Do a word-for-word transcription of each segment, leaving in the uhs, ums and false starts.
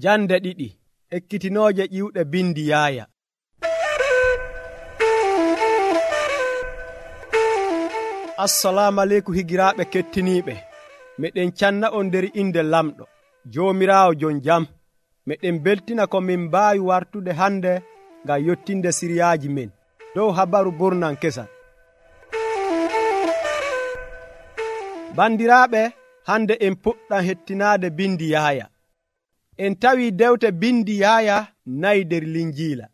Jande ɗiɗi ekkitinooje ƴiwɗe bindi Yaaya. Assalamu aleykum higiraaɓe kettiniiɓe. Meɗen canna on nder inde lamɗo Joomiraawo jon jam. Meɗen beltina ko min mbaawi wartude hande ngam yottinde siriyaaji men dow habaru burnan kesal. Bandiraaɓe, hande en puɗɗam hettinaade bindi Yaaya. En tawi dewte bindi Yaaya nayi nder Linjiila.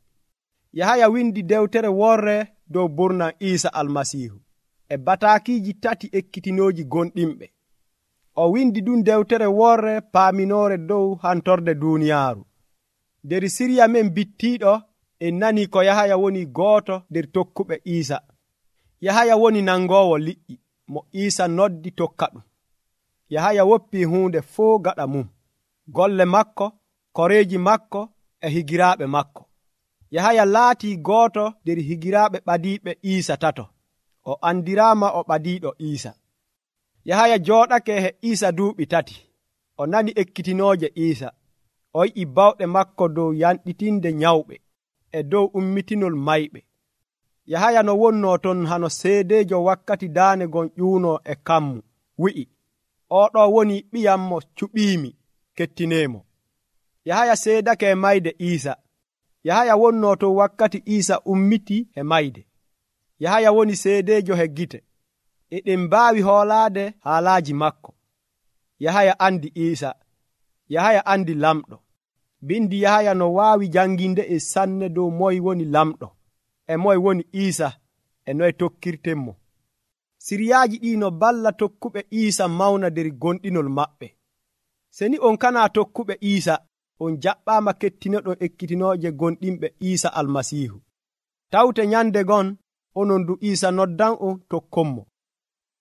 Yahaya windi dewtere worre dow burnan Iisa Almasiihu e bataakiiji tati ekkitinooji gonɗinɓe. O windi ɗum dewtere worre paaminoore dow hantorde duuniyaaru. Nder siriya men bittiiɗo en nani ko Yahaya woni gooto nder tokkuɓe Iisa. Yahaya woni nangoowo liƴƴi mo Iisa noddi tokka ɗum. Yahaya woppii huunde fuu gaɗa mum, golle makko, koreeji makko e higiraaɓe makko. Yahaya laatii gooto nder higiraaɓe ɓadiiɓe Iisa tato. O andiraama o ɓadiiɗo Iisa. Yahaya jooɗake he Iisa duuɓi tati. O nani ekkitinooje Iisa. O yi'i bawɗe makko dow yanɗitinde nyawɓe e dow ummitinol mayɓe. Yahaya no wonnoo ton hano seedeejo wakkati daane gon ƴuunoo e kammu, wi'i, oɗo woni ɓiyam mo cuɓiimi, kettineemo. Yahaya seedake e mayde Iisa. Yahaya wonnoo ton wakkati Iisa ummiti e mayde. Yahaya woni seedeejo he gite. Eɗen mbaawi hoolaade haalaaji makko. Yahaya andi Iisa. Yahaya andi lamɗo. Bindi Yahaya no waawi janginde e sanne dow moye woni lamɗo, e moye woni Iisa, e noye tokkirtenmo. Siriyaaji ɗi no balla tokkuɓe Iisa mawna nder gonɗinol maɓɓe. Seni on kana tokkuɓe Iisa, on jaɓɓaama kettinoɗon ekkitinooje gonɗinɓe Iisa Almasiihu. Tawte nyande gon onon du Iisa noddan on tokkonmo.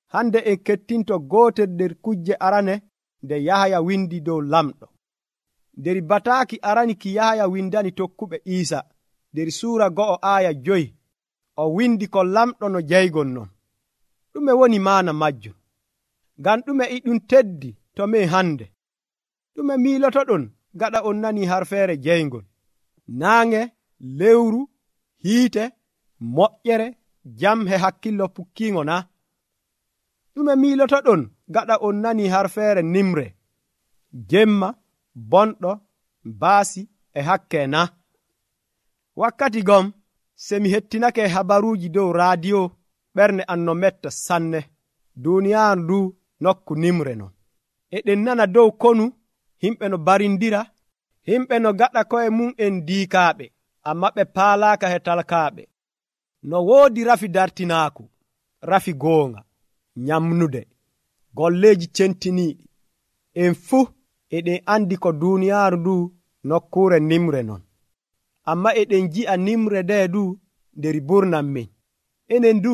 Hande en kettinto gootel nder kujje arane nde Yahaya windi dow lamɗo. Nder bataaki arani ki Yahaya windani tokkuɓe Iisa, nder suura go'o aaya joyi, o windi ko lamɗo no jeygol non. Ɗume woni maana majjum? Ngam ɗume e ɗum teddi to men hande? Ɗume miilotoɗon gaɗa on nani harfeere jeygol? Naange, lewru, hiite, moƴƴere, jam he hakkillo pukkiingo na? Ɗume miilotoɗon gaɗa on nani harfeere nimre, jemma, bonɗo, baasi e hakke na? Wakkati gom semi hettinake habaruuji dow raadiyo, ɓernde an no metta sanne. Duuniyaaru ndu nokku nimre non. Eɗen nana dow konu himɓe no barindira, himɓe no gaɗa koye mum en diikaaɓe, amma ɓe paalaaka he talkaaɓe. No woodi rafi dartinaaku, rafi goonga, nyamnude, golleeji centiniiɗi. En fuu eɗen andi ko duuniyaaru ndu nokkuure nimre non. Amma eɗen ji'a nimre nde du nder burnan men. Enen du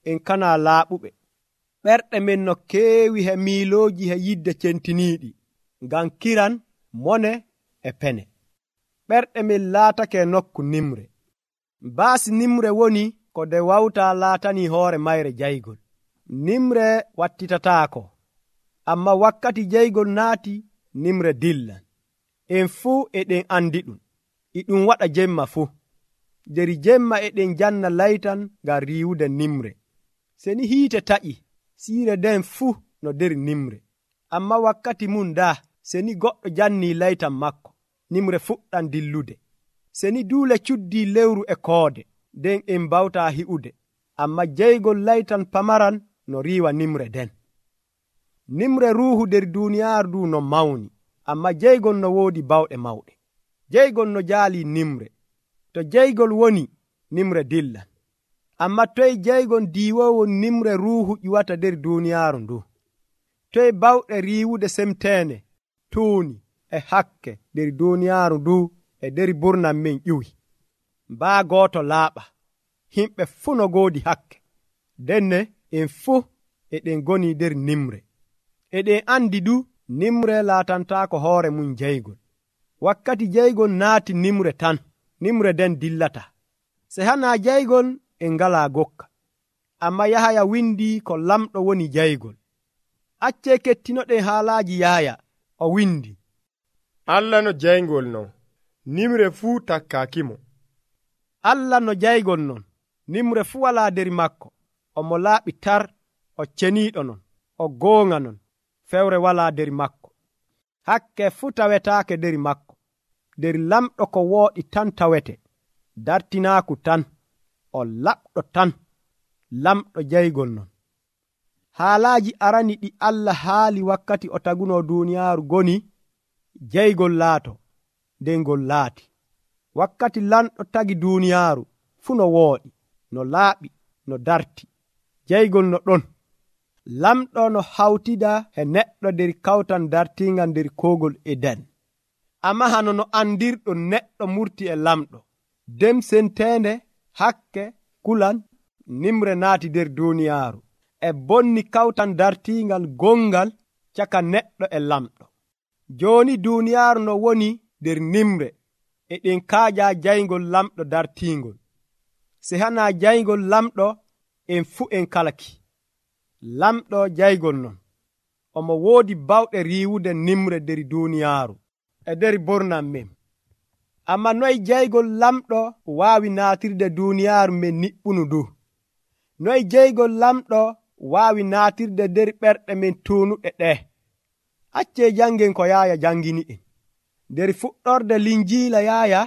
en kana laaɓuɓe. Ɓerɗe men no keewi he miilooji he yidde centiniiɗi, ngam kiran, mone e pene. Ɓerɗe men laatake nokku nimre. Baasi nimre woni ko nde wawta laatani hoore mayre jaygol. Nimre wattitataako, amma wakkati jaygol naati, nimre dillan. En fuu eɗen andi ɗum. E ɗum waɗa jemma fuu. Nder jemma eɗen janna laytan ngam riiwude nimre. Seni hiite taƴi, siire nden fuu no nder nimre. Amma wakkati mum daa, seni goɗɗo janni laytan makko, nimre fuɗɗan dillude. Seni duule cuddii lewru e koode, nden en mbawta hi'ude. Amma jeygol laytan pamaran no riiwa nimre den. Nimre ruuhu nder duuniyaaru ndu no mawni, amma jeygol no woodi bawɗe mawɗe. Jeygol no jaalii nimre. To jeygol woni, nimre dillan. Amma toye jeygol diiwowo nimre ruuhu ƴiwata nder duuniyaaru ndu? Toye bawɗe riiwude semteene, tuuni e hakke nder duuniyaaru ndu e nder burnan men ƴiwi? Mbaa gooto laaɓa, himɓe fuu no goodi hakke. Denne en fuu eɗen goni nder nimre. Eɗen andi du nimre laatantaako hoore mum jeygol. Wakkati jeygol naati nimre tan, nimre den dillata. Se hana jeygol en ngalaa gokka. Amma Yahaya windi ko lamɗo woni jeygol. Accee kettinoɗen haalaaji Yahaya, o windi, Allah no jaygol non, nimre fuu takkaakimo. Allah no jaygol non, nimre fuu walaa der makko. Omo laaɓi tar, o ceniiɗo non, o goonga non, fewre walaa der makko. Hakke fuu tawetaake der makko. Der lamɗo ko wooɗi tan tawete, dartinaaku tan, o laɓɗo tan, lamɗo jaygol non. Haalaaji arani ɗi Allah haali wakkati o tagunoo duuniyaaru goni, jaygol laato, nden ngol laati. Wakkati lanɗo tagi duuniyaaru fuu no wooɗi, no laaɓi, no darti, jaygol no ɗon. Lamɗo no hawtida e neɗɗo nder kawtan dartingal nder koogol Eden. Amma hano no andirɗo neɗɗo murti e lamɗo, dem senteende, hakke, kulan, nimre naati nder duuniyaaru, e bonni kawtan dartingal gongal caka neɗɗo e lamɗo. Jooni duuniyaaru no woni nder nimre, e ɗen kaaja jaygol lamɗo dartingol. Se hana jaygol lamɗo, en fuu en kalaki. Lamɗo jaygol non, omo woodi bawɗe riiwude nimre nder duuniyaaru e nder bornan men. Amma noy jaygol lamɗo waawi naatirde duuniyaaru men niɓɓunu ndu? Noy jaygol lamɗo waawi naatirde nder ɓerɗe men tuunuɗe ɗe? Accee jangen ko Yaaya jangini en. Nder fuɗɗorde linjiila Yaaya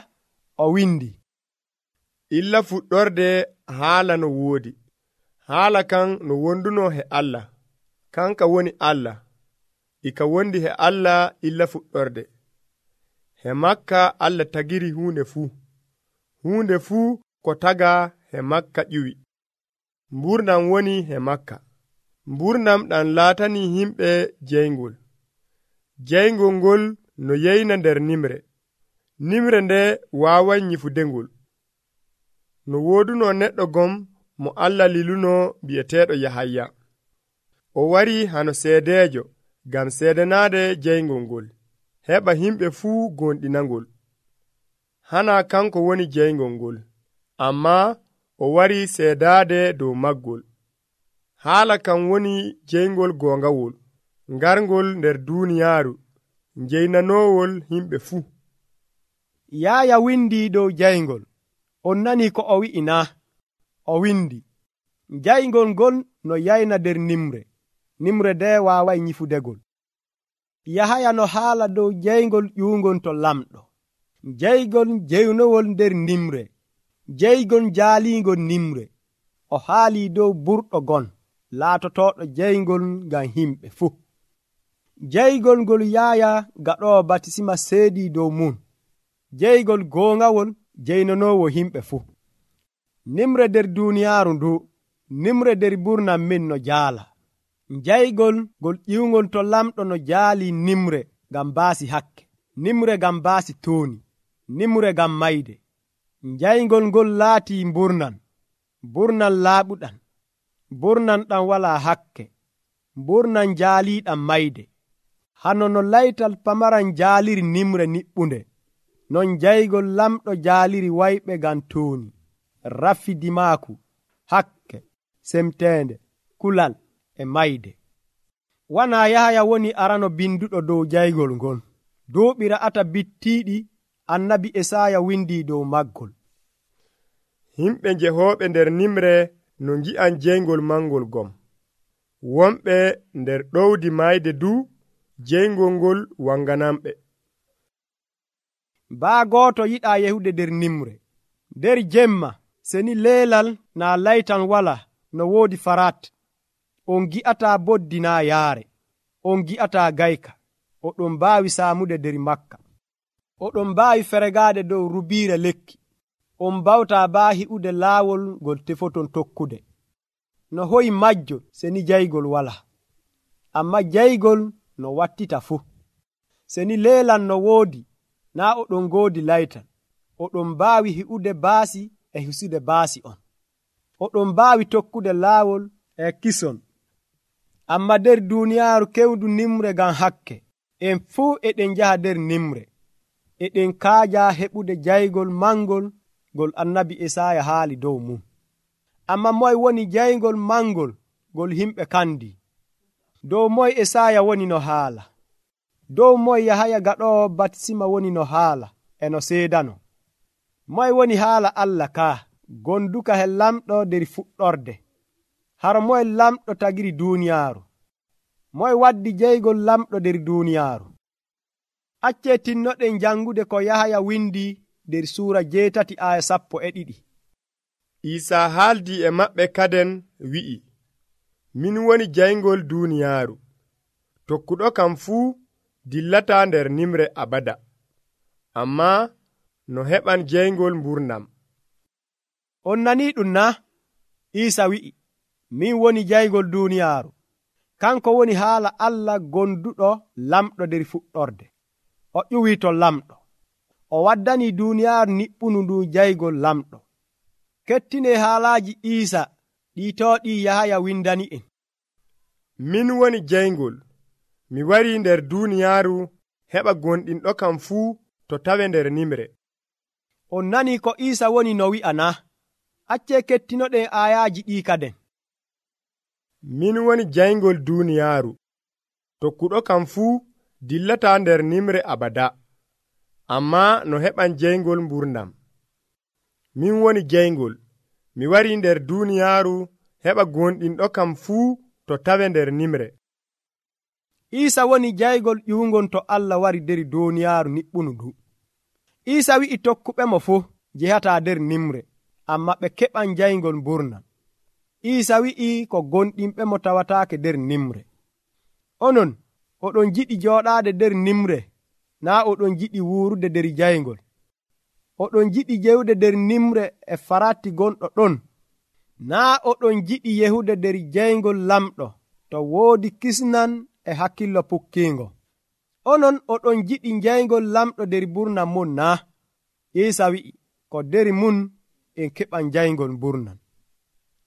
o windi, illa fuɗɗorde haala no woodi. Haala kan no wonduno he Allah, kanka woni Allah, ika wondi he Allah illa fuɗɗorde. He makka Allah tagiri huunde fuu, huunde fuu ko taga he makka ƴiwi. Mburnam woni he makka, mburnam ɗam laatani himɓe jeyngol. Jeyngol ngol no yeyna nder nimre, nimre nde waaway nyifudengol. No wooduno neɗɗo gom mo Allah liluno bi'eteeɗo Yahaya. O wari hano seedeejo ngam seedanaade jeyngol ngol, heɓa himɓe fuu gonɗinangol. Hana kanko woni jeyngol ngol, ammaa o wari seedaade dow maggol. Haala kan woni jeyngol goongawol, ngarngol nder duuniyaaru, njeynanoowol himɓe fuu. Yaaya windi dow jaygol. On nani ko o wi'i na? O windi, jaygol ngol no yayna nder nimre, nimre nde waaway nyifudegol. Yahaya no haala dow jaygol ƴuungol to lamɗo, jaygol jeynowol nder nimre, jaygol jaaliingol nimre. O haali dow burɗo gon, laatotoɗo jaygol ngam himɓe fuu. Jaygol ngol Yaaya gaɗoowo batisima seedi dow mum, jaygol goongawol jeynanoowo himɓe fuu. Nimre nder duuniyaaru ndu, nimre nder burnam min no jaala. Jaygol ngol ƴiwngol to lamɗo no jaali nimre ngam baasi hakke, nimre ngam baasi tooni, nimre ngam mayde. Jaygol ngol laatii mburnan, burnan laaɓuɗan, burnan ɗam walaa hakke, burnan jaaliiɗam mayde. Hano no laytal pamaran jaaliri nimre niɓɓunde, non jaygol lamɗo jaaliri wayɓe ngam tooni, rafidimaaku, hakke, semteende, kulal e mayde. Wana Yahaya woni arano binduɗo dow jaygol ngol. Duuɓi ra'ata bittiiɗi annabi Esaya windi dow maggol. Himɓe njehooɓe nder nimre no ngi'an jeyngol mangol gom. Wonɓe nder ɗowdi mayde du, jeyngol ngol wanganamɓe. Baa gooto yiɗaa yehude nder nimre. Nder jemma, seni leelal naa laytan wala no woodi farat. On gi'ataa boddi naa yaare. On gi'ataa gayka. Oɗon mbaawi saamude nder makka. Oɗon mbaawi feregaade dow rubiire lekki. On mbawtaa baa hi'ude laawol ngol tefoton tokkude. No hoyi majjo seni jaygol wala. Amma jaygol no wattita fuu. Seni leelan no woodi, naa oɗon ngoodi laytan. Oɗon mbaawi hi'ude baasi e hisude baasi on. Oɗon mbaawi tokkude laawol e kison. Amma nder duuniyaaru kewdu nimre ngam hakke, en fuu eɗen njaha nder nimre. Eɗen kaaja heɓude jaygol mangol ngol annabi Esaya haali dow mum. Amma moy woni jaygol mangol ngol himɓe kandi? Dow moy Esaya woni no haala? dow moy Yahaya gaɗoowo batisima woni no haala e no seedano. Moy woni haala Allah kaa gonduka he lamɗo der fuɗɗorde. Hara moye lamɗo tagiri duuniyaaru? Moye waddi jeygol lamɗo der duuniyaaru? Accee tinnoɗen jangude ko Yahaya windi der suura jeetati aya sappo e ɗiɗi. Isaa haaldi e maɓɓe kaden wi'i, min woni jayngol duuniyaaru. Tokkuɗo kam fuu dillataa nder nimre abada, ammaa no heɓan jeyngol mburnam. On nanii ɗum na? Iisa wi'i, min woni jaygol duuniyaaru. Kanko woni haala Allah gonduɗo lamɗo der fuɗɗorde. O ƴuwii to lamɗo. O waddanii duuniyaaru niɓɓunu ndu jaygol lamɗo. Kettinee haalaaji Iisa ɗiitooɗi Yahaya windani en. Min woni jayngol. Mi warii nder duuniyaaru heɓa gonɗinɗo kam fuu to tawe nder nimre. On nanii ko Iisa woni no wi'a na? Accee kettinoɗen aayaaji ɗii kaden. Min woni jayngol duuniyaaru. Tokkuɗo kam fuu dillataa nder nimre abada, ammaa no heɓan jeyngol mburnam. Min woni jayngol. Mi warii nder duuniyaaru heɓa gonɗinɗo kam fuu to tawe nder nimre. Iisa woni jaygol ƴuungon to Allah wari der duuniyaaru niɓɓunu ndu. Iisa wi'i tokkuɓe mo fuu jehataa der nimre, amma ɓe keɓan jayngol mburnam. Iisa wi'i ko gonɗinɓe mo tawataake der nimre. Onon, oɗon jiɗi jooɗaade der nimre, naa oɗon jiɗi wuurude der jayngol. Oɗon jiɗi jewde der nimre e faratti gonɗo ɗon, naa oɗon jiɗi yehude der jayngol lamɗo to woodi kisnan e hakkillo pukkiingo. Onon oɗon jiɗi jayngol lamɗo der burnam mon naa? Iisa wi'i, ko der mun en keɓan jayngol burnam.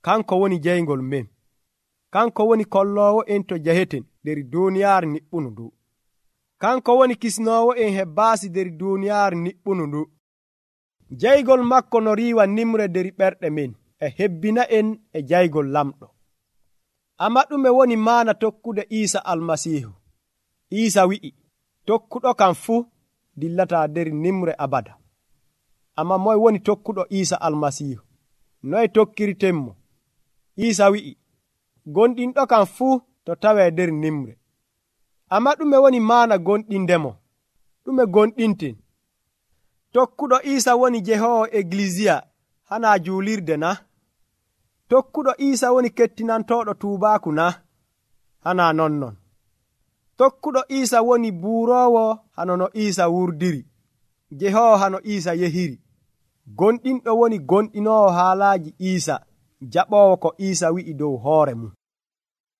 Kanko woni jayngol men. Kanko woni kolloowo en to jaheten der duuniyaaru niɓɓunu ndu. Kanko woni kisnoowo en he baasi der duuniyaaru niɓɓunu ndu. Jaygol makko no riiwa nimre der ɓerɗe men e hebbina en e jaygol lamɗo. Amma ɗume woni maana tokkude Iisa almasiihu? Iisa wi'i, tokkuɗo kam fuu dillataa der nimre abada. Amma moye woni tokkuɗo Iisa almasiihu? Noye tokkirtenmo? Iisa wi'i, gonɗinɗo kam fuu to tawee der nimre. Amma ɗume woni maana gonɗindemo? Ɗume gonɗinten? Tokkuɗo Iisa woni jehoowo Eglisiya hana juulirde na? Tokkuɗo Iisa woni kettinantooɗo tuubaaku na? Hana nonnon. Tokkuɗo Iisa woni buuroowo hano no Iisa wurdiri, jehoowo hano Iisa yehiri. Gonɗinɗo woni gonɗinoowo haalaaji Iisa, jaɓoowo ko Iisa wi'i dow hoore mum.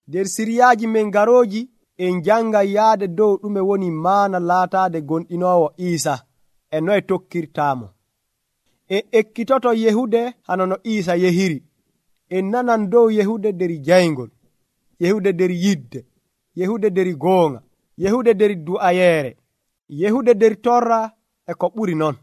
Der siriyaaji men garooji en jangay yaade dow ɗume woni maana laataade gonɗinoowo Iisa e noye tokkirtaamo. En ekkitoto yehude hano no Iisa yehiri. En nanan dow yehude der jayngol, yehude der yidde, yehude der goonga, yehude der du'ayeere, yehude der torra e ko ɓuri non.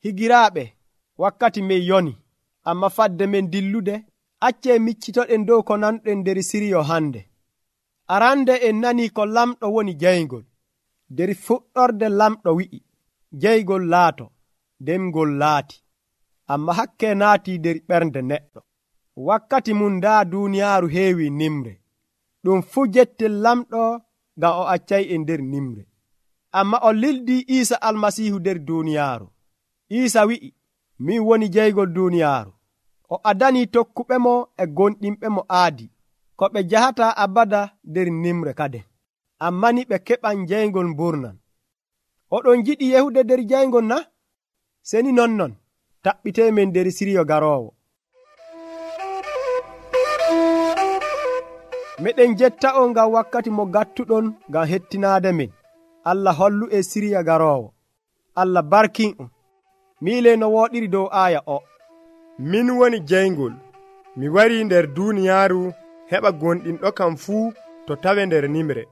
Higiraaɓe, wakkati men yoni, amma fadde men dillude, accee miccitoɗen dow ko nanɗen der siriyo hande. Arande en nanii ko lamɗo woni jayngol. Der fuɗɗorde lamɗo wi'i, jaygol laato, demgol laati. Amma hakke naati der ɓernde neɗɗo. Wakkati mum daa duuniyaaru heewi nimre. Ɗum fuu jettel lamɗo ngam o accay en der nimre. Amma o lildii Iisa almasiihu der duuniyaaru. Iisa wi'i, min woni jaygol duuniyaaru. O adanii tokkuɓe mo e gonɗinɓe mo aadi, ko ɓe jahata abada der nimre kaden. Amma ni ɓe keɓan jayngol mburnam. Oɗon jiɗi yehude der jayngol na? Seni nonnon, taɓɓitee men der siriyo garoowo. Meɗen jetta on ngam wakkati mo gattuɗon ngam hettinaade men. Allah hollu e siriya garoowo. Allah barkin on. Miile no wooɗiri dow aaya o. Min woni jayngol. Mi warii nder duuniyaaru heɓa gonɗinɗo kam fuu to tawe nder nimre.